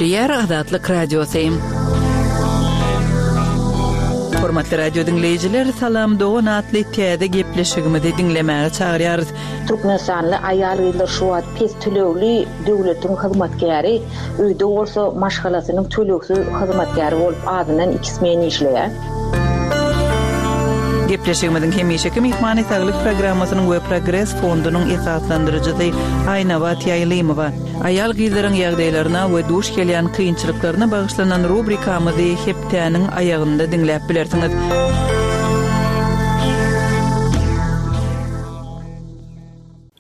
Gepleýär Azatlyk Radiosy. Hormatly radio diňleýjiler, Salam dogan atly täze gepleşigimizi diňlemäge çagyrýarys. Türkmenistanly aýal-gyzlar şu wagt pes tölegli döwletiň hyzmatkäri, öýde bolsa maşgalasynyň tölegsiz hyzmatkäri bolup azyndan iki smen işleýär. Gepleşigimiziň hemişeki myhmany Saglyk programmasynyň we Progres fondunyň esaslandyryjysy Aýnabat Ýaýlymowa. Aýal-gyzlaryň ýagdaýlaryna we duş gelýän kynçylyklaryna bagyşlanan rubrikamyzy hepdäniň aýagynda diňläp bilersiňiz.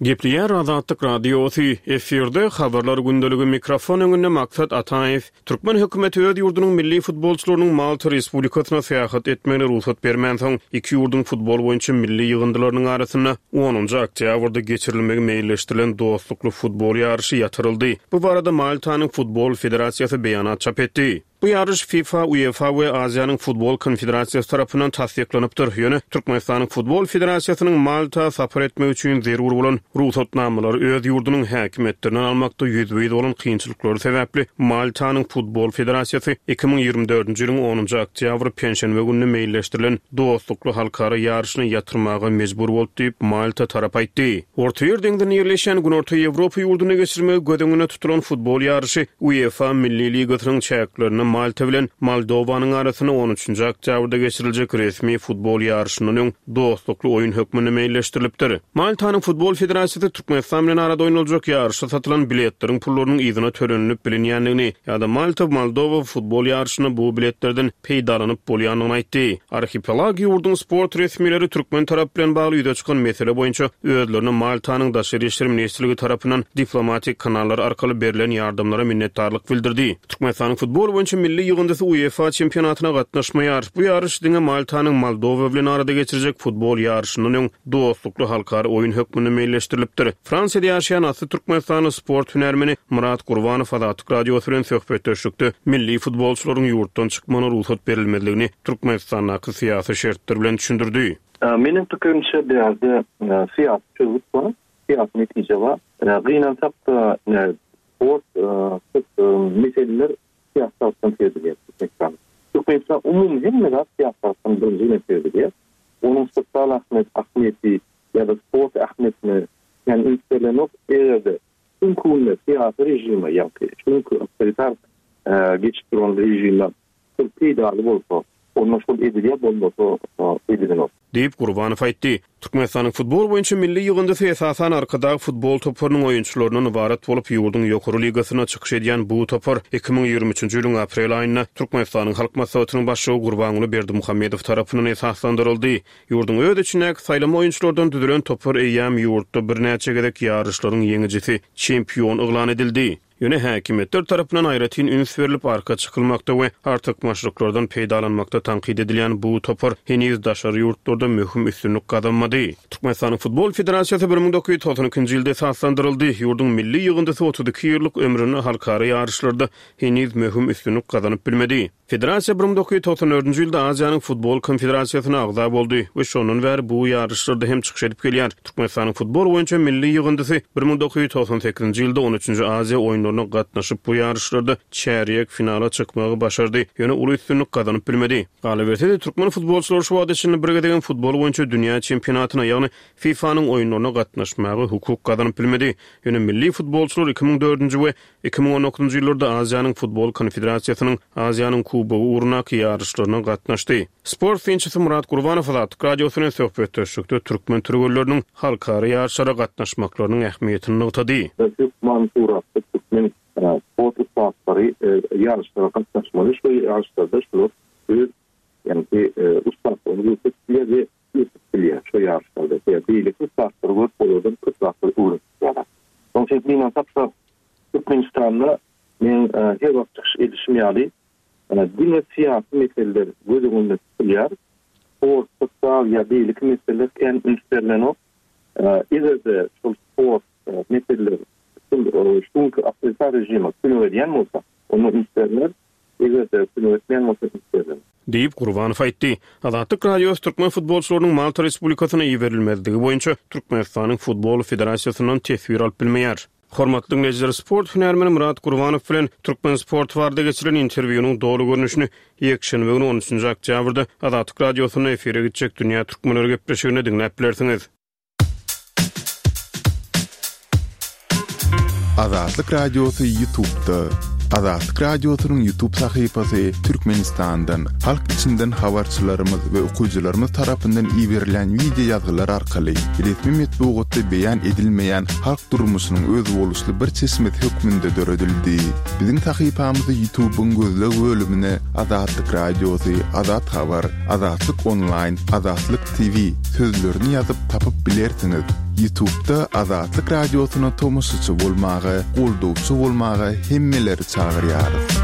Gepleýär Azatlyk Radiosy, efirde Habarlar gündeligi mikrofon öňünde Maksat Ataýew. Türkmen hökümeti öz ýurdunyň milli futbolçylarynyň Malta Respublikasyna syýahat etmegine rugsat bermänsoň, iki ýurduň futbol boýunça milli ýygyndylarynyň arasynda onunjy oktýabrda geçirilmegi meýilleşdirilen dostlukly futbol ýaryşy ýatyryldy. Bu barada Maltanyň Futbol federasiýasy beýanat çap etdi. Bu ýaryş FIFA, UEFA we Aziýanyň Futbol konfederasiýasy tarapyndan tassyklanypdyr, ýöne Türkmenistanyň Futbol federasiýasynyň Malta sapar etmek üçin zerur bolan rugsatnamalary öz ýurdunyň häkimiýetlerinden almakda ýüzbe-ýüz bolan kynçylyklary sebäpli Maltanyň Futbol federasiýasy 2024-nji ýylyň onunjy oktýabry penşenbe gününe meýilleşdirilen dostlukly halkara ýaryşyny ýatyrmaga mejbur boldy diýip, Malta tarapy aýtdy. Ortaýer deňzinde ýerleşýän Günorta Ýewropa ýurdunda geçirmegi göz öňünde tutulan futbol ýaryşy UEFA Milli ligasynyň çäklerinde Malta bilen Moldowanyň arasynda on üçünji oktýabrda geçiriljek resmi futbol ýaryşyndan öň dostlukly oýun hökmünde meýilleşdirilipdir. Maltanyň Futbol federasiýasy Türkmenistan bilen arada oýnaljak ýaryşa satylan biletleriň pullarynyň yzyna tölenilip bilinýändigini ýa-da Malta-Moldowa futbol ýaryşynda bu biletlerden peýdalanyp bolýandygyny aýtdy. Arhipelag ýurduň sport resmileri türkmen tarapy bilen bagly ýüze çykan mesele boýunça özlerine Maltanyň Daşary işler ministrligi tarapyndan diplomatik kanallar arkaly berlen ýardamlara minnetdarlyk bildirdi. Türkmenistanyň futbol boýunça milli ýygyndysy UEFA çempionatyna gatnaşmaýar. Bu ýaryş diňe Maltanyň Moldowa bilen arada geçirjek futbol ýaryşyndan öň dostlukly halkara oýun hökmünde meýilleşdirilipdir. Fransiýada ýaşaýan asly türkmenistanly sport hünärmeni Myrat Gurbanow Azatlyk Radiosy bilen söhbetdeşlikde milli futbolçylaryň ýurtdan çykmagyna rugsat berilmezligini Türkmenistandaky syýasy şertler bilen düşündirdi. Meniň pikirimçe bu ýerde syýasy çözgüt bar, syýasy netije bar. Gynansak-da, sport köp meseleler syýasy tarapdan çözülýär Türkmenistanda. Türkmenistan umumy hemme zat syýasy tarapdan birinji bilen çözülýär. Onuň sosial ahmet ahmiýeti ýa-da sport ähmiýetine kän üns berlenok. Eger-de şu günki günde syýasy režime ýagny şu günki awtoritar geçip duran režime şol peýdaly bolsa, onda şol edilýär, bolmasa edilenok. Diýip, Gurbanow aýtdy. Türkmenistanyň futbol boýunça milli ýygyndysy esasan Arkadag futbol toparynyň oýunçylaryndan ybarat bolup, ýurduň ýokary ligasynda çykyş edýän bu topar 2023-nji ýylyň aprel aýynda Türkmenistanyň Halk Maslahatynyň Başlygy Gurbanguly Berdimuhamedow tarapyndan esaslandyryldy. Ýurduň öz içindäki saýlama oýunçylardan düzülen topar eýýäm ýurtda birnäçe gezek ýaryşlaryň ýeňijisi, çempion yglan edildi. Ýöne häkimiýetler tarapyndan aýratyn üns berlip arka çykylmakda we artykmaçlyklardan peýdalanmakda tankyt edilýän bu topar heniz daşary ýurtlarda möhüm üstünlik gazanmady. Türkmenistanyň Futbol federasiýasy 1992-nji ýylda esaslandyryldy. Ýurduň milli ýygyndysy 32 ýyllyk ömründe halkara ýaryşlarda heniz möhüm üstünlik gazanyp bilmedi. Federasiýa 1994-nji ýylda Aziýanyň Futbol konfederasiýasyna agza boldy we şondan bäri bu ýaryşlarda hem çykyş edip gelýär. Türkmenistanyň futbol boýunça milli ýygyndysy 1998-nji ýylda on üçünji Aziýa oýunlaryna gatnaşyp, bu ýaryşlarda çärýek finala çykmagy başardy, ýöne uly üstünlik gazanyp bilmedi. Galyberse-de, türkmen futbolçylary şu wagta çenli bir gezegem futbol boýunça dünýä çempionatyna, ýagny FIFA-nyň oýunlaryna gatnaşmaga hukuk gazanyp bilmedi. Ýöne milli futbolçylar 2004-nji we 2019-njy ýyllarda Aziýanyň Futbol konfederasiýasynyň Aziýanyň Kubogy ugrundaky ýaryşlaryna gatnaşdy. Sport synçysy Myrat Gurbanow Azatlyk Radiosy bilen söhbetdeşlikde türkmen türgenleriniň halkara ýaryşlara gatnaşmaklarynyň ähmiýetini nygtady. Hökman suratda türkmen sport ussatlary ýaryşlara gatnaşmaly. Şol ýaryşlarda şular öz ýagny ussatlygyny görkezip bilýär we ösüp bilýär şo ýaryşlarda. Sebäbi beýleki ussatlary görüp olardan köp zatlary öwrenip bilýärler. Şonuň üçin gynansak-da Türkmenistanda meň her wagt çykyş edişim ýaly diňe syýasy meseleler göz öňünde tutulýar. Sport, sosial ýa beýleki meseleler kän üns berlenok. Eger-de şol sport meseleler şol şu günki awtoritar režime kömek edýän bolsa, onda üns berler. Eger-de kömek etmeýän bolsa üns berler. Diýip, Gurbanow aýtdy. Azatlyk Radiosy türkmen futbolçylarynyň Malta Respublikasyna iberilmezligi boýunça Türkmenistanyň Futbol federasiýasyndan teswir alyp bilmeýär. Hormatly diňleýjiler, sport hünärmeni Myrat Gurbanow bilen Türkmen sporty barada geçirilen interwýunyň doly görnüşini ýekşenbe güni on üçünji oktýabrda Azatlyk Radiosynda efire gitjek Dünýä türkmenleri gepleşiginde diňläp bilersiňiz. Azatlyk Radiosy Ýutubda. Azatlyk Radiosynyň Ýutub sahypasy Türkmenistandan, halk içinden habarçylarymyz we okyjylarymyz tarapyndan iberilýän wideo ýazgylar arkaly resmi metbugatda beýan edilmeýän halk durmuşynyň özboluşly bir çeşmesi hökmünde döredildi. Biziň sahypamyzy Ýutubyň gözleg bölümine Azatlyk Radiosy, Azat Habar, Azatlyk Onlaýn, Azatlyk TV sözlerini ýazyp tapyp bilersiňiz. Ýutubda Azatlyk Radiosyna tomaşaçy bolmaga, goldawçy bolmaga hemmeleri çagyrýarys.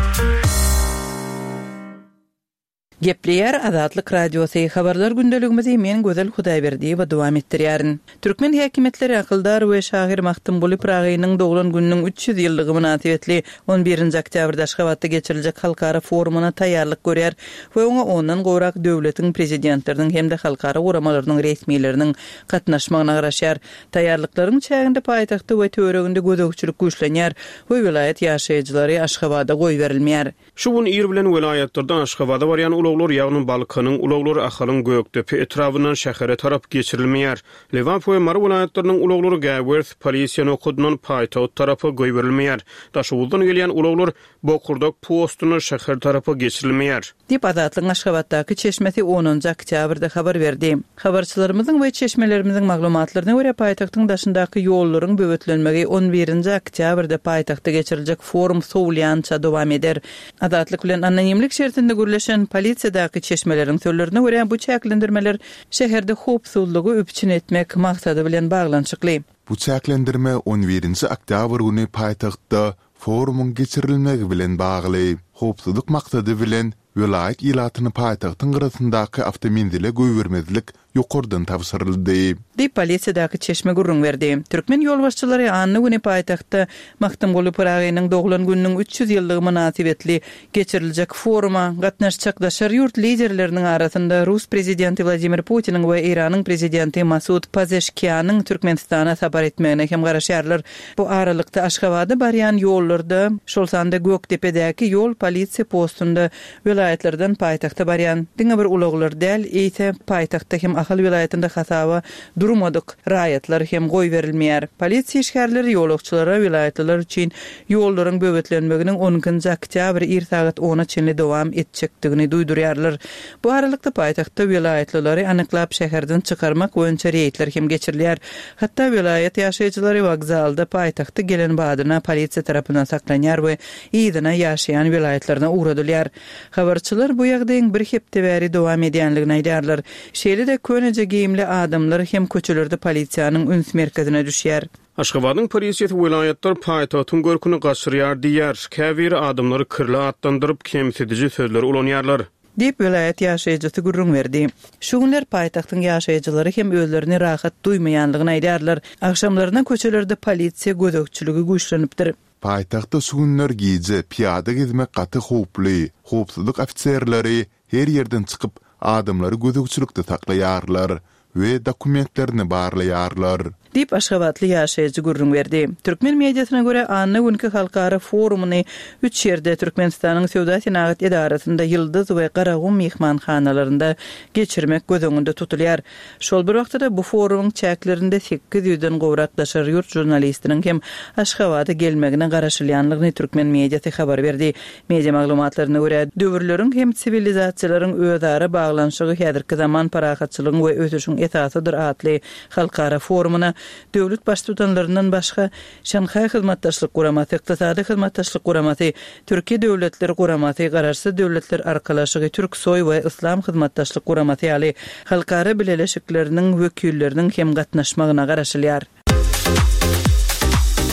Gepleýär Azatlyk Radiosy, Habarlar gündeligimizi men Gözel Hudaýberdiýewa dowam etdirýärin. Türkmen häkimiýetleri akyldar we şahyr Magtymguly Pyragynyň doglan gününiň 300 ýyllygy mynasybetli on birinji oktýabrda Aşgabatda geçiriljek halkara forumyna taýýarlyk görýär we oňa ondan gowrak döwletiň Prezidentleriniň hem-de halkara guramalarynyň resmileriniň gatnaşmagyna garaşýar. Taýýarlyklaryň çäginde paýtagtda we töwereginde gözegçilik güýçlenýär we welaýat ýaşaýjylary Aşgabada goýberilmeýär. Şu gün ir bilen welaýatlardan Aşgabada barýan ulaglar, ýagny Balkanyň ulaglary Ahalyň Gökdepe etrabyndan şähere tarap geçirilmeýär. Lebap we Mary welaýatlarynyň ulaglary Gäwers polisiýa nokadyndan paýtagt tarapa goýberilmeýär. Daşoguzdan gelýän ulaglar Bokurdak postuna şäher tarapa geçirilmeýär. Diýip, Azatlygyň Aşgabatdaky çeşmesi onunjy oktýabrda habar berdi. Habarçylarymyzyň we çeşmelerimiziň maglumatlaryna görä, paýtagtyň daşyndaky ýollaryň böwetlenmegi on birinji oktýabrda paýtagtda geçiriljek forum sowulýança dowam eder. Azatlyk bilen anonimlik şertinde gürleşen polisiýadaky çeşmeleriň sözlerine görä, bu çäklendirmeler şäherde howpsuzlygy üpjün etmek maksady bilen baglanyşykly. Bu çäklendirme on birinji oktýabr güni paýtagtda Forumyň geçirilmegi bilen bagly, howpsuzlyk maksady bilen, welaýat ilatyny paýtagtyň gyrasyndaky awtomenzile goýbermezlik ýokardan tabşyryldy. Diýip, polisiýadaky çeşme gürrüň berdi. Türkmen ýolbaşçylary anna güni paýtagtda Magtymguly Pyragynyň doglan gününiň 300 ýyllygy mynasybetli geçiriljek foruma gatnaşjak daşary ýurt liderleriniň arasynda rus prezidenti Wladimir Putiniň we Eýranyň prezidenti Masud Pazeşkianyň Türkmenistana sapar etmegine hem garaşýarlar. Bu aralykda, Aşgabada barýan ýollarda, şol sanda Gökdepedäki ýol polisiýa postunda welaýatlardan paýtagta barýan diňe bir ulaglar däl, eýse, paýtagtda hem Ahal welaýatynda hasaba durmadyk raýatlar hem goýberilmeýär. Polisiýa işgärleri ýolagçylara welaýatlylar üçin ýollaryň böwetlenmeginiň on ikinji oktýabr ir sagat ona çenli dowam etjekdigini duýdurýarlar. Bu aralykda, paýtagtda welaýatlylary anyklap şäherden çykarmak boýunça reýdler hem geçirilýär. Hatda welaýat ýaşaýjylary wokzalda paýtagta gelen badyna polisiýa tarapyndan saklanýar we yzyna ýaşaýan welaýatlaryna ugradylýar. Habarçylar bu ýagdaýyň bir hepde bäri dowam edýänligini aýdýarlar. Şeýle-de köneje geýimli adamlar hem köçelerde polisiýanyň üns merkezine düşýär. Aşgabadyň polisiýasy welaýatlar paýtagtyň görküni gaçyrýar diýýär. Käbiri adamlary kirli atlandyryp, kemsidiji sözleri ulanýarlar. Diýip, welaýat ýaşaýjysy gürrüň berdi. Şu günler paýtagtyň ýaşaýjylary hem özlerini rahat duýmaýanlygyny aýdýarlar. Agşamlaryna köçelerde polisiýa gözegçiligi güýçlenipdir. Paýtagtda şu günler gije pyýada gezmek gaty howply. Howpsuzlyk ofiserleri her ýerden çykyp, adamlary gözegçilikde saklaýarlar we dokumentlerini barlaýarlar. Diýip, aşgabatly ýaşaýjy gürrüň berdi. Türkmen mediasyna görä, anna günki halkara forumyny üç ýerde, Türkmenistanyň Söwda-senagat edarasynda, Ýyldyz we Garagum myhmanhanalarynda geçirmek göz öňünde tutulýar. Şol bir wagtda-da, bu forumyň çäklerinde sekiz ýüzden gowrak daşary ýurt žurnalistiniň hem Aşgabada gelmegine garaşylýanlygyny türkmen mediasy habar berdi. Media maglumatlaryna görä, döwürleriň hem siwilizasiýalaryň özara baglanyşygy häzirki zaman parahatçylygyň we ösüşiň esasydyr atly halkara forumyna döwlet Baştutanlaryndan başga Şanhaý Hyzmatdaşlyk Guramasy, Ykdysady Hyzmatdaşlyk Guramasy, Türki Döwletler Guramasy, Garaşsyz Döwletler Arkalaşygy, Türksoý we Yslam Hyzmatdaşlyk Guramasy ýaly halkara bileleşikleriniň wekilleriniň hem gatnaşmagyna garaşylýar.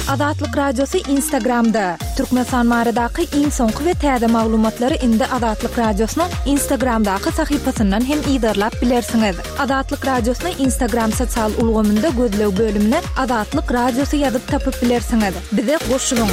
Azatlyk Radiosy Instagramda, Türkmenistan baradaky iň soňky we täze maglumatlary indi Azatlyk Radiosynyň Instagramdaky sahypasyndan hem yzarlap bilersiňiz. Azatlyk Radiosyny Instagram sosial ulgamynda gözleg bölümine Azatlyk Radiosy ýazyp tapyp bilersiňiz. Bize goşulyň!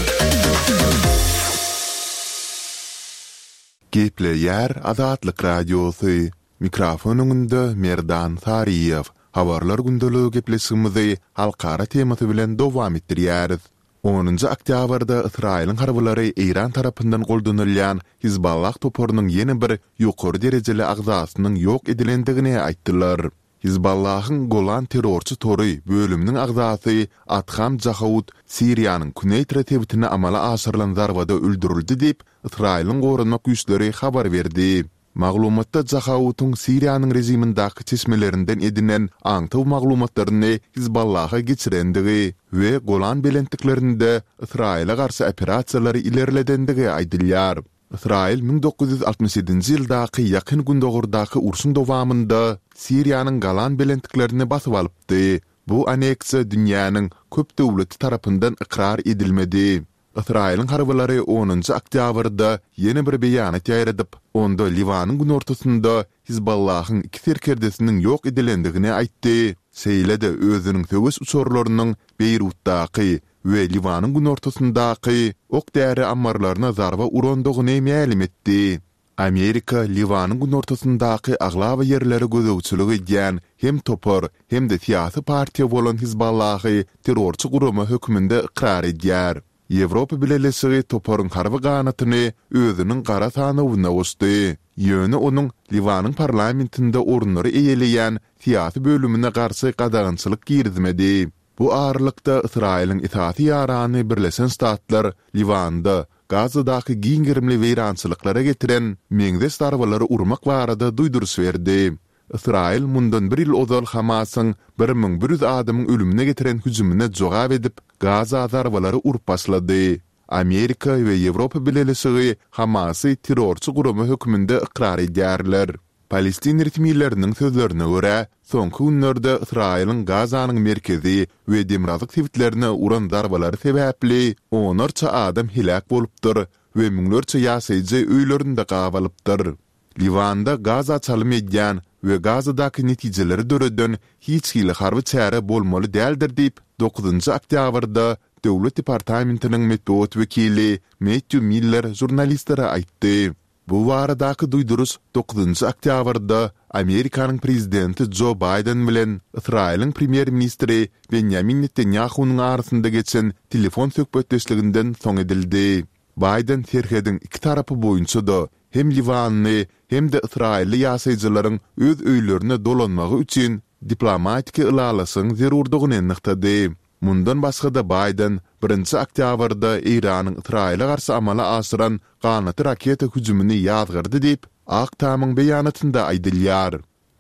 Gepleýär Azatlyk Radiosy, Mikrofon öňünde Merdan Saryýew. Habarlar gündeligi gepleşigimizi halkara temasy bilen dowam etdirýäris. Onunjy oktýabrda Ysraýylyň harbylary Eýran tarapyndan goldanylýan Hizballah toparynyň ýene bir ýokary derejeli agzasynyň ýok edilendigini aýtdylar. Hizballahyň Golan terrorçy tory bölüminiň agzasy Adham Jahaud Siriýanyň Kuneýtra sebitine amala aşyrylan zarbada öldürildi diýip, Ysraýylyň goranmak güýçleri habar berdi. Maglumatda Jahautyň Siriýanyň režimindäki çeşmelerinden edinen aňtaw maglumatlaryny Hizballaha geçirendigi we Golan belentliklerinde Ysraýyla garşy operasiýalary ilerledendigi aýdylýar. Ysraýyl 1967 ýedinji ýyldaky Ýakyn Gündogardaky urşuň dowamynda Siriýanyň Golan belentliklerini basyp alypdy. Bu aneksiýa dünýäniň köp döwleti tarapyndan ykrar edilmedi. Ysraýylyň harbylary onunjy oktýabrda ýene bir beýanat ýaýradyp, onda Liwanyň günortasynda Hizballahyň iki serkerdesiniň ýok edilendigini aýtdy, şeýle-de özüniň söweş uçarlarynyň Beýrutdaky we Liwanyň günortasyndaky ok-däri ammarlaryna zarba urandygyny mälim etdi. Amerika Liwanyň günortasyndaky aglaba ýerlere gözegçilik edýän hem topar, hem-de syýasy partiýa bolan Hizballahy terrorçy gurama hökmünde ykrar edýär. Ýewropa Bileleşigi toparyň harby ganatyny özüniň gara sanawyna goşdy. Ýöne onuň Liwanyň parlamentinde orunlary eýeleýän syýasy bölümine garşy gadagançylyk girizmedi. Bu aralykda, Ysraýylyň esasy ýarany Birleşen Ştatlar Liwanda, Gazadaky giň gerimli weýrançylyklara getiren meňzeş zarbalary urmak barada duýduryş berdi. Ysraýyl mundan bir ýyl ozal Hamasyň 1100 adamyň ölümine getiren hüjümine jogap edip, Gaza zarbalary urup başlady. Amerika we Ýewropa Bileleşigi Hamasy terrorçy gurama hökmünde ykrar edýärler. Palestin resmileriniň sözlerine görä, soňky günlerde Ysraýylyň Gazanyň merkezi we demirgazyk sebitlerine uran zarbalary sebäpli onlarça adam heläk bolupdyr we müňlerçe ýaşaýjy öýlerinde gabalypdyr. Liwanda Gaza çalym edýän we Gazadaky netijeleri döreden hiç hili harby çäre bolmaly däldir diýip, dokuzynjy oktýabrda Döwlet departamentiniň metbugat wekili Mettýu Miller žurnalistlere aýtdy. Bu baradaky duýduryş dokuzynjy oktýabrda Amerikanyň prezidenti Jo Baýden bilen Ysraýylyň premýer-ministri Benýamin Netanýahunyň arasynda geçen telefon söhbetdeşliginden soň edildi. Baýden serhediň iki tarapy boýunça-da hem liwanly, hem-de ysraýylly ýaşaýjylaryň öz öýlerine dolanmagy üçin diplomatiki ylalaşygyň zerurdygyny nygtady. Mundan başga-da Baýden birinji oktýabrda Eýranyň Ysraýyla garşy amala aşyran ganatly raketa hüjümini ýazgardy diýip, Ak tamyň beýanatynda aýdylýar.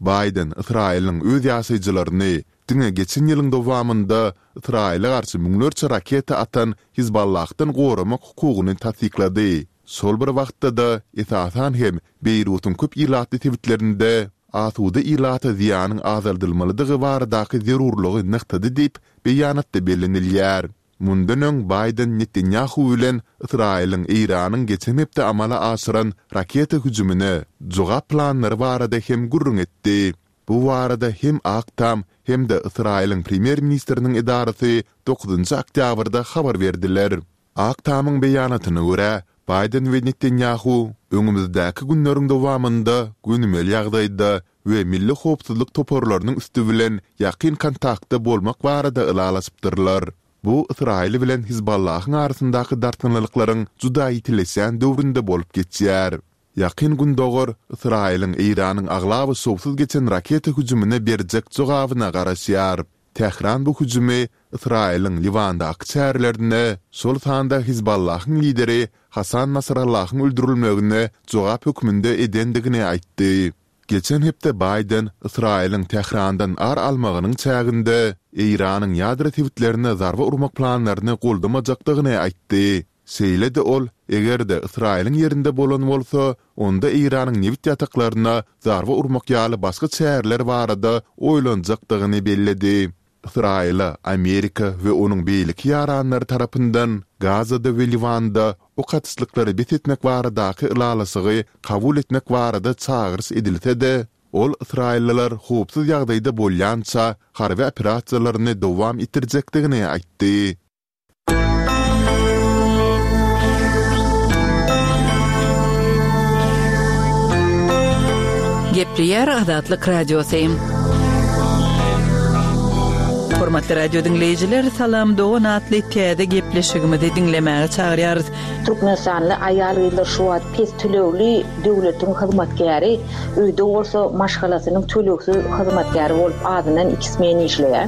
Baýden Ysraýylyň öz ýaşaýjylaryny diňe geçen ýylyň dowamynda Ysraýyla garşy müňlerçe raketa atan Hizballahdan goramak hukugyny tassyklady. Şol bir wagtda-da, esasan hem Beýrutyň köp ilatly sebitlerinde asuda ilata zyýanyň azaldylmalydygy baradaky zerurlygy nygtady diýip, beýanatda bellenilýär. Mundan öň Baýden Netanýahu bilen Ysraýylyň Eýranyň geçen hepde amala aşyran raketa hüjümine jogap planlary barada hem gürrüň etdi. Bu barada hem Ak Tam, hem-de Ysraýylyň premýer-ministriniň edarasy dokuzynjy oktýabrda habar berdiler. Ak Tamyň beýanatyna görä, Baýden we Netanýahu öňümizdäki günleriň dowamynda gönümel ýagdaýda we milli howpsuzlyk toparlarynyň üsti bilen ýakyn kontaktda bolmak barada ylalaşypdyrlar. Bu Ysraýyl bilen Hizballahyň arasyndaky dartgynlylyklaryň juda ýitileşýän döwründe bolup geçýär. Ýakyn Gündogar Ysraýylyň Eýranyň aglaba şowsuz geçen raketa hüjümine berjek jogabyna garaşýar. Tähran bu hüjümi Ysraýylyň Liwandaky çärelerine, şol sanda Hizballahyň lideri Hasan Nasrallahyň öldürilmegine jogap hökmünde edendigini aýtdy. Geçen hepde Baýden Ysraýylyň Tährandan ar almagynyň çäginde Eýranyň ýadro sebitlerine zarba urmak planlaryny goldamajakdygyny aýtdy. Şeýle-de ol, eger-de Ysraýylyň ýerinde bolan bolsa, onda Eýranyň nebit ýataklaryna zarba urmak ýaly başga çäreler barada oýlanjakdygyny belledi. Ysraýyla Amerika we onuň beýleki ýaranlary tarapyndan Gazada we Liwanda ok atyşlyklary bes etmek baradaky ylalaşygy kabul etmek barada çagyryş edilse-de, ol ysraýyllylar howpsuz ýagdaýda bolýança harby operasiýalaryny dowam etdirjekdigini aýtdy. Gepleýär Azatlyk Radiosy. Hormatly radio diňleýjiler, Salam dogan atly täze gepleşigimizi diňlemäge çagyrýarys. Türkmenistanly aýal-gyzlar şu wagt pes tölegli döwletiň hyzmatkäri, öýde bolsa maşgalasynyň tölegsiz hyzmatkäri bolup azyndan iki smen işleýär.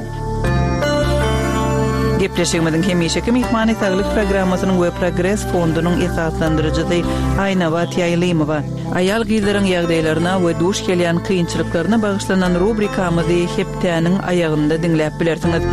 Gepleşigimiziň hemişeki myhmany Saglyk programmasynyň we Progres fondunyň esaslandyryjysy Aýnabat Ýaýlymowa. Aýal-gyzlaryň ýagdaýlaryna we duş gelýän kynçylyklaryna bagyşlanan rubrikamyzy hepdäniň aýagynda diňläp bilersiňiz.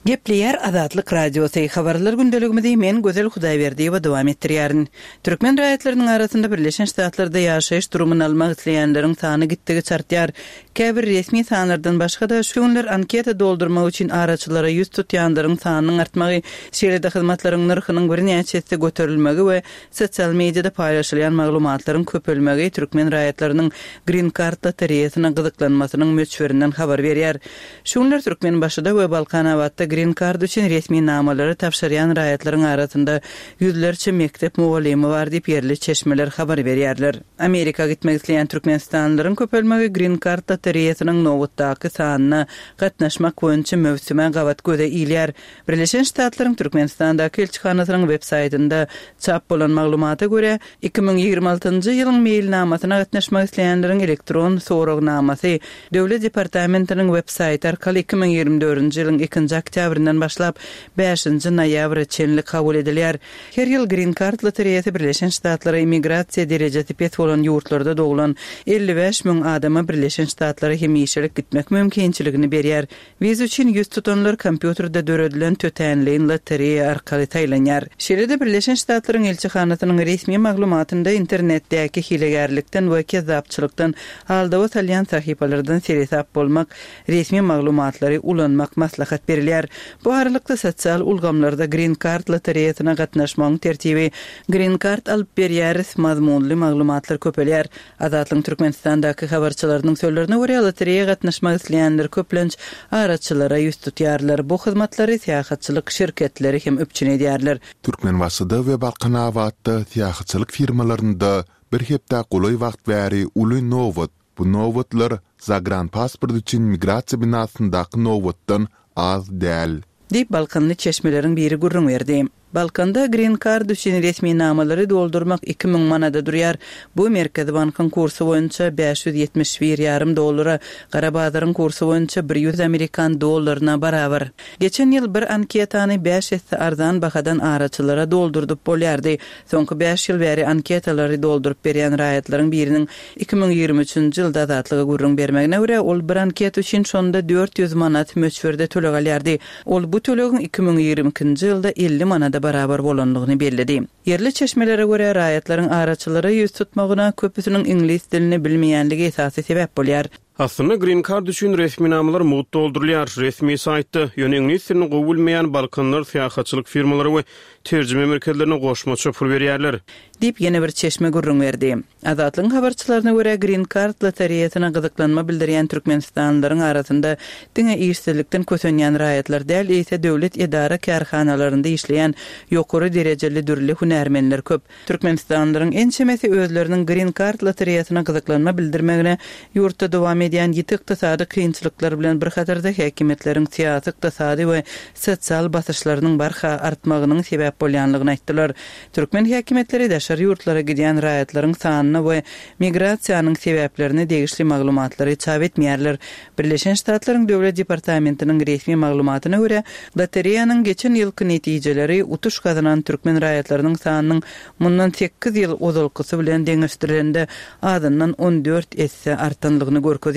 Gepleýär Azatlyk Radiosy, Habarlar gündeligimizi men Gözel Hudaýberdiýewa dowam etdirýärin. Türkmen raýatlarynyň arasynda Birleşen Ştatlarda ýaşaýyş durumyny almak isleýänleriň sany gitdigiçe artýar. Käbir resmi sanlardan başga-da, şu günler anketa doldurmak üçin araçylara ýüz tutýanlaryň sanynyň artmagy, şeýle-de hyzmatlaryň nyrhynyň birnäçe esse göterilmegi we sosial mediada paýlaşylýan maglumatlaryň köpelmegi türkmen raýatlarynyň Green Card lotereýasyna gyzyklanmasynyň möçberinden habar berýär. Şu günler Türkmenbaşyda we Balkanabatda Green Card üçin resminamalary tabşyrýan raýatlaryň arasynda ýüzlerçe mekdep mugallymy bar diýip, ýerli çeşmeler habar berýärler. Amerika gitmek isleýän türkmenistanlylaryň köpelmegi Green Card lotereýasynyň nobatdaky sanyna gatnaşmak boýunça möwsüme gabat göze ilýär. Birleşen Ştatlaryň Türkmenistandaky ilçihanasynyň web saýtynda çap bolan maglumata görä, 2026-njy ýylyň meýilnamasyna gatnaşmak isleýänleriň elektron soragnamasy Döwlet departamentiniň web saýty arkaly 2024-nji ýylyň ikinji oktýabryndan başlap bäşinji noýabra çenli kabul edilýär. Her ýyl Green Card lotereýasy Birleşen Ştatlara immigrasiýa derejesi pes bolan ýurtlarda doglan 55 müň adama Birleşen Ştatlara hemişelik gitmek mümkinçiligini berýär. Wiza üçin ýüz tutanlar kompýuterde döredilen tötänleýin lotereýa arkaly saýlanýar. Şeýle-de Birleşen Ştatlaryň ilçihanasynyň resmi maglumatynda internetdäki hilegärlikden we kezzapçylykdan aldawa salýan sahypalardan seresap bolmak, resmi maglumatlary ulanmak maslahat berilýär. Bu aralykda sosial ulgamlarda Green Card lotereýasyna gatnaşmagyň tertibi, Green Card alyp berýäris mazmunly maglumatlar köpelýär. Azatlygyň Türkmenistandaky habarçylarynyň sözlerine görä, lotereýa gatnaşmak isleýänler köplenç araçylara ýüz tutýarlar. Bu hyzmatlary syýahatçylyk şirketleri hem üpjün edýärler. Türkmenbaşyda we Balkanabatda syýahatçylyk firmalarynda bir hepdä golaý wagt bäri uly nobat. Bu nobatlar zagranpasport üçin migrasiýa binasyndaky nobatdan az däl. Diýip, balkanly çeşmeleriň biri gürrüň berdi. Balkanda Green Card üçin resminamalary doldurmak 2000 manada durýar. Bu Merkezi bankyň kursy boýunça 571 ýarym dollara, gara bazaryň kursy boýunça bir ýüz amerikan dollaryna barabar. Geçen ýyl bir anketany bäş esse arzan bahadan araçylara doldurdyp bolýardy. Soňky bäş ýyl bäri anketalary dolduryp berýän raýatlaryň biriniň 2023-nji ýylda Azatlyga gürrüň bermegine görä, ol bir anketa üçin şonda 400 manat möçberde töleg alýardy. Ol bu tölegiň 2022-nji ýylda 50 manada barabar bolandygyny belledi. Ýerli çeşmelere görä, raýatlaryň araçylara ýüz tutmagyna köpüsiniň iňlis dilini bilmeýänligi esasy sebäp bolýar. Aslynda Green Card üçin resminamalar mugt doldurylýar, resmi saýtda, ýöne iňlis dilini gowy bilmeýän balkanlar syýahatçylyk firmalary we terjime merkezlerine goşmaça pul berýärler. Diýip, ýene bir çeşme gürrüň berdi. Azatlygyň habarçylaryna görä, Green Card lotereýasyna gyzyklanma bildirýän türkmenistanlylaryň arasynda diňe işsizlikden kösenýän raýatlar däl, eýse döwlet edara-kärhanalarynda işleýän ýokary derejeli dürli hünärmenler köp. Türkmenistanlylaryň ençemesi özleriniň Green Card lotereýasyna gyzyklanma bildirmegine ýurtda dowam edýän ýiti ykdysady kynçylyklar bilen bir hatarda häkimiýetleriň syýasy, ykdysady we sosial basyşlarynyň barha artmagynyň sebäp bolýanlygyny aýtdylar. Türkmen häkimiýetleri daşary ýurtlara gidýän raýatlaryň sanyna we migrasiýanyň sebäplerine degişli maglumatlary çap etmeýärler. Birleşen Ştatlaryň Döwlet departamentiniň resmi maglumatyna görä, lotereýanyň geçen ýylky netijeleri utuş gazanan türkmen raýatlarynyň sanynyň mundan sekiz ýyl ozalkysy bilen deňeşdirilende azyndan 14 esse artanlygyny görkezýär.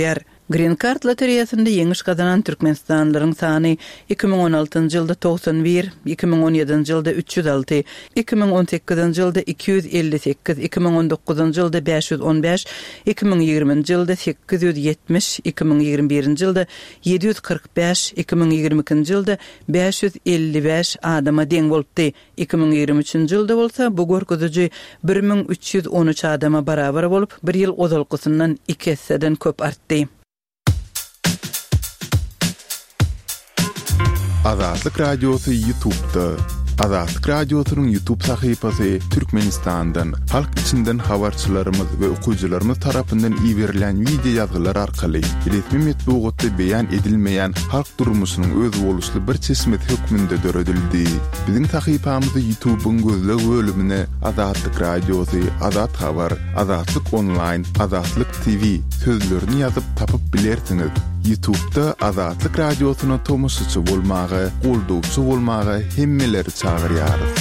Green Card lotereýasynda ýeňiş gazanan türkmenistanlylaryň sany 2016-njy ýylda 91, 2017-nji ýylda 306, 2018-nji ýylda 258, 2019-njy ýylda 515, 2020-nji ýylda 870, 2021-nji ýylda 745, 2022-nji ýylda 555 adama deň bolupdy. 2023-nji ýylda bolsa bu görkeziji 1313 adama barabar bolup, bir ýyl ozalkysyndan iki esseden köp artdy. Azatlyk Radiosy YouTube'da. Azatlyk Radiosynyň YouTube sahypasy Türkmenistandan, halk içinden habarçylarymyz we okyjylarymyz tarapyndan iberilýän wideo ýazgylar arkaly resmi metbugatda beýan edilmeýän halk durmuşynyň özboluşly bir çeşmesi hökmünde döredildi. Biziň sahypamyzy YouTube-yň gözleg bölümine Azatlyk Radiosy, Azat Habar, Azatlyk Onlaýn, Azatlyk TV sözlerini ýazyp tapyp bilersiňiz. Ýutubda Azatlyk Radiosyna tomaşaçy bolmaga, goldawçy bolmaga hemmeleri çagyrýarys.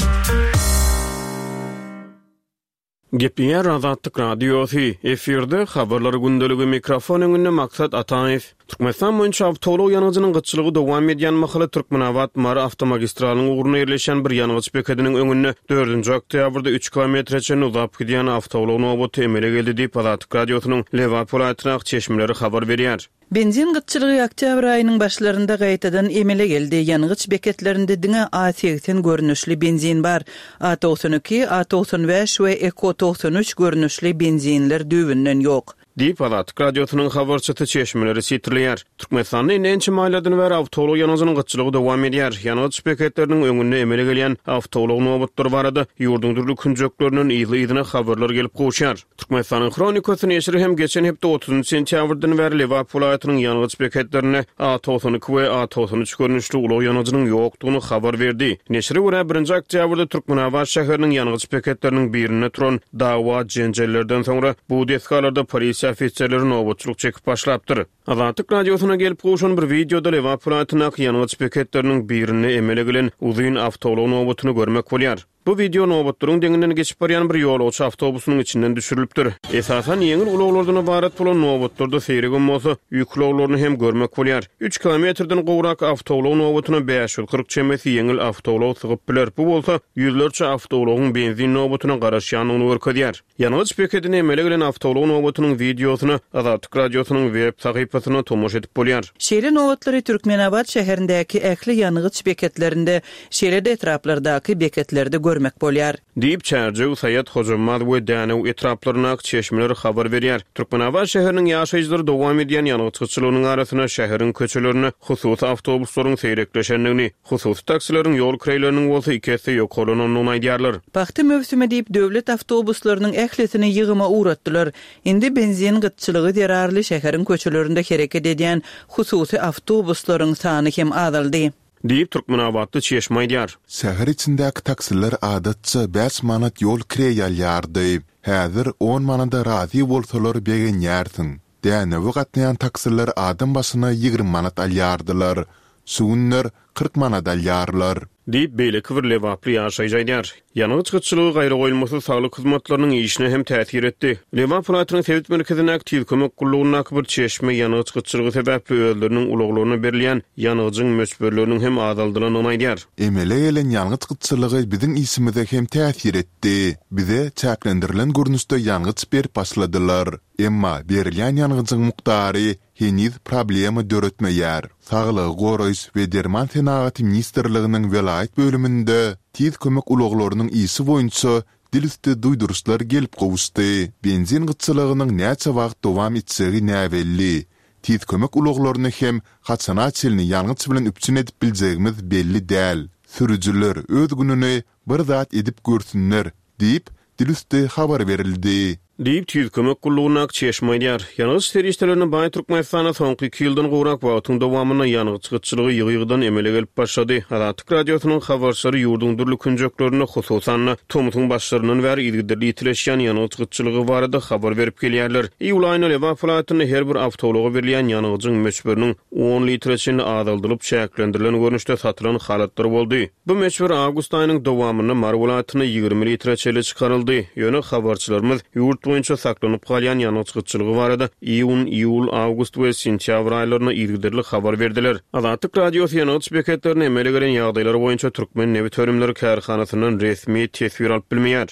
Gepleýär Azatlyk Radiosy, efirde Habarlar gündeligi, mikrofon öňünde Maksat Ataýew. Türkmenistan boýunça awtoulag ýangyjynyň gytçylygy dowam edýän mahaly Türkmenabat-Mary awtomagistralynyň ugrunda ýerleşýän bir ýangyç bekediniň öňünde dördünji oktýabrda üç kilometre çenli uzap gidýän awtoulag nobaty emele geldi diýip, Azatlyk Radiosynyň Lebap welaýatyndaky çeşmeleri habar berýär. Benzin gytçylygy oktýabr aýynyň başlarynda gaýtadan emele geldi. Ýangyç beketlerinde diňe A 80 görnüşli benzin bar. A 92, A 95 we Eko 93 görnüşli benzinler düýbünden ýok. Diýip, Azatlyk Radiosynyň habarçysy çeşmeleri sitirleýär. Türkmenistanda indi ençeme aýlardan bäri awtoulag ýangyjynyň gytçylygy dowam edýär. Ýangyç beketleriniň öňünde emele gelýän awtoulag nobatlary barada ýurduň dürli künjeklerinden yzly-yzyna habarlar gelip gowuşýar. Türkmenistanyň Hronikasy neşiri hem geçen hepde otuzynjy sentýabrdan bäri Lebap welaýatynyň ýangyç beketlerinde A 92 we A 93 görnüşli ulag ýangyjynyň ýokdugyny habar berdi. Neşire görä, birinji oktýabrda Türkmenabat şäheriniň ýangyç beketleriniň birinde turan Dawa-jenjellerden soňra bu desgalarda polisiýa ofiserleri nobatçylyk çekip başlapdyr. Azatlyk Radiosyna gelip gowşan bir wideoda Lebap welaýatyndaky ýangyç beketleriniň birinde emele gelen uzyn awtoulag nobatyny görmek bolýar. Bu wideo nobatlaryň deňinden geçip barýan bir ýolagçy awtobusynyň içinden düşürilipdir. Esasan ýeňil ulaglardan ybarat bolan nobatlarda seýregem bolsa, ýük ulaglaryny hem görmek bolýar. Üç kilometrden gowrak awtoulag nobatyna 540 çemesi ýeňil awtoulag sygyp biler, bu bolsa ýüzlerçe awtoulagyň benzin nobatyna garaşýandygyny görkezýär. Ýangyç bekedinde emele gelen awtoulag nobatynyň wideosyna Azatlyk Radiosynyň web sahypasynda tomaşa edip bolýar. Şeýle nobatlary Türkmenabat şäherindäki ähli ýangyç beketlerinde, şeýle-de etraplardaky beketlerde görmek bolýar. Diýip, Çärjew, Saýat, Hojambaz we Dänew etraplaryndaky çeşmeler habar berýär. Türkmenabat şäheriniň ýaşaýjylary dowam edýän ýangyç gytçylygynyň arasynda şäheriň köçelerinde hususy awtobuslaryň seýrekleşendigini, hususy taksileriň ýol kireýleriniň bolsa iki esse ýokarlanandygyny aýdýarlar. Pagta möwsümi diýip, döwlet awtobuslarynyň ählisini ýygyma ugratdylar. Indi benzin gytçylygy zerarly şäheriň köçelerinde hereket edýän hususy awtobuslaryň sany hem azaldy. Diýip, türkmenabatly çeşme aýdýar. Şäher içindäki taksiler adatça bäş manat ýol kireý alýardy. Häzir on manada razy bolsalar begenýärsiň. Dänewe gatnaýan taksiler adam başyna 20 manat alýardylar. Şu günler 40 manat alýarlar. Diýip, beýleki bir lebaply ýaşaýjy aýdýar. Ýangyç gytçylygy gaýragoýulmasyz saglyk hyzmatlarynyň işine hem täsir etdi. Lebap welaýatynyň sebit merkezindäki Tiz kömek gullugyndaky bir çeşme ýangyç gytçylygy sebäpli özleriniň ulaglaryna berilýän ýangyjyň möçberleriniň hem azaldylandygyny aýdýar. Emele gelen ýangyç gytçylygy biziň işimize hem täsir etdi. Bize çäklendirilen görnüşde ýangyç berip başladylar. Emma berilýän ýangyjyň mukdary heniz problema döretmeýär. Saglygy goraýyş we derman senagaty ministrliginiň welaýat bölüminde tiz kömek ulaglarynyň işi boýunça dil üsti duýduryşlar gelip gowuşdy. Benzin gytçylygynyň näçe wagt dowam etjegi näbelli. Tiz kömek ulaglaryny hem haçana çenli ýangyç bilen üpjün edip biljegimiz belli däl. Sürüjiler öz gününi bir zat edip görsünler diýip, dilüsti habar berildi. Diýip, Tiz kömek gullugyndaky çeşme aýdýar. Ýangyç serişdelerine baý Türkmenistanda soňky iki ýyldan gowrak wagtyň dowamynda ýangyç gytçylygy ýygy-ýygydan emele gelip başlady. Azatlyk Radiosynyň habarçylary ýurduň dürli künjeklerinde, hususan-da, tomsuň başlaryndan bäri yzygiderli ýitileşýän ýangyç gytçylygy barada habar berip gelýärler. Iýul aýynda Lebap welaýatynda her bir awtoulaga berilýän ýangyjyň möçberiniň on litre çenli azaldylyp, çäklendirilen görnüşde satylan halatlary boldy. Bu möçber awgust aýynyň dowamynda Mary welaýatynda 20 litre çenli çykaryldy. Ýöne habarçylarymyz ýurt boýunça saklanyp galýan ýangyç gytçylygy barada iýun, iýul, awgust we sentýabr aýlarynda yzygiderli habar berdiler. Azatlyk Radiosy ýangyç beketlerinde emele gelen ýagdaýlar boýunça Türkmennebitönümleri kärhanasyndan resmi teswir alyp bilmeýär.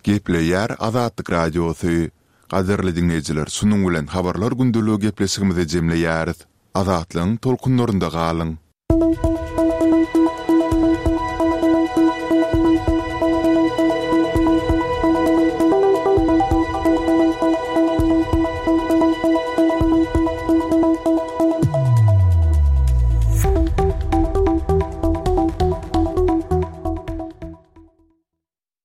Gepleýär Azatlyk Radiosy. Gadyrly diňleýjiler şunuň bilen Habarlar gündeligi gepleşigimizi jemleýäris. Azatlygyň tolkunlarynda galyň!